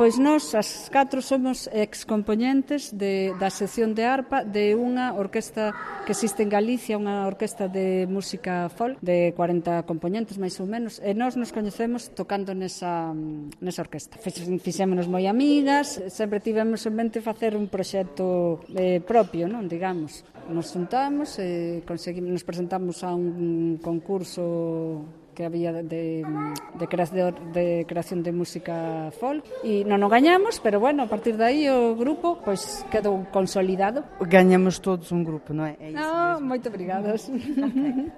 Pois nós, as 4, somos excompoñentes da sección de arpa de unha orquesta que existe en Galicia, unha orquesta de música folk de 40 componentes, máis ou menos, e nós nos coñecemos tocando nesa orquesta. Fixémonos moi amigas, sempre tivemos en mente facer un proxecto propio, non, digamos. Nos juntamos e nos presentamos a un concurso que había de creación de música folk e non o gañamos, pero bueno, a partir de aí o grupo pois quedou consolidado. Ganhamos todos un grupo, non é? É iso mesmo. Moito obrigadas. Okay.